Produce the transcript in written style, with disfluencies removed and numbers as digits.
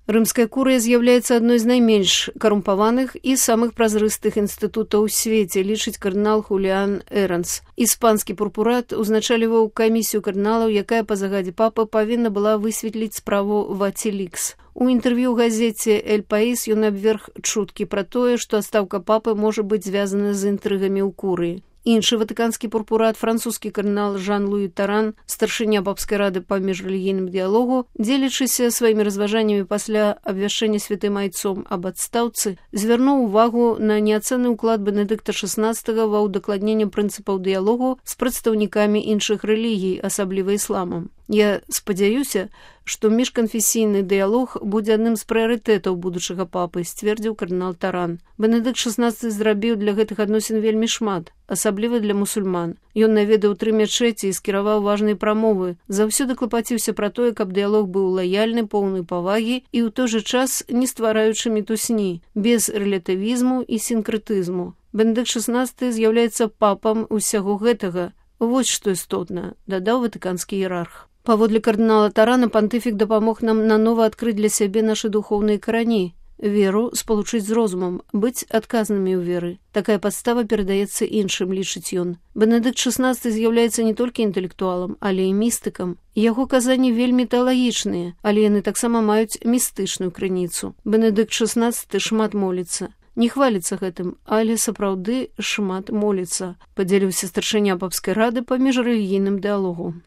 Рымская курыя з'яўляецца адной з найменш карумпаваных і самых празрыстых інстытутаў у свеце, лічыць кардынал Хуліан Эранс. Іспанскі пурпурат узначаліваў камісію кардыналаў, якая па загадзе папы павінна была высветліць справу Вацілікс. У інтэрв'ю газеце «Эль Паís» ён абверг чуткі пра тое, што адстаўка папы можа быць звязана з інтрыгамі ў курыі. Іншы ватыканскі пурпурат, французскі кардынал Жан-Луі Таран, старшыня папскай рады па міжрэлігійным дыялогу, дзелячыся сваімі разважаннямі пасля абвяшчэння святым айцом аб адстаўцы, звярнуў увагу на неацэнны ўклад Бенедыкта XVI ва ўдакладненне прынцыпаў дыялогу з прадстаўнікамі іншых рэлігій, асабліва ісламам. Я спадзяюся, што міжканфесійны дыялог будзе адным з прыярытэтаў будучага папы, сцвердзіў кардынал Таран. Бенедыкт XVI зрабіў для гэтых адносін вельмі шмат, асабліва для мусульман. Ён наведаў 3 мячэці і скіраваў важныя прамовы, заўсёды клапаціўся пра тое, каб дыялог быў лаяльны, поўны павагі і ў той жа час не ствараючы мітусні, без рэлятывізму і сінкрэтызму. Бенедыкт XVI з'яўляецца папам усяго гэтага. Вось што істотна, дадаў ватыканскі іерарх. Паводле кардынала Тарана, пантыфік дапамог нам нанова адкрыць для сябе нашы духоўныя карані, веру спалучыць з розумам, быць адказнымі ў веры. Такая падстава перадаецца іншым, лічыць ён. Бенедыкт XVI з'яўляецца не толькі інтэлектуалам, але і містыкам. Яго казанні вельмі тэалагічныя, але яны таксама маюць містычную крыніцу. Бенедыкт XVI шмат моліцца. Не хваліцца гэтым, але сапраўды шмат моліцца, падзяліўся старшыня папскай рады па міжрэлігійным дыялогу.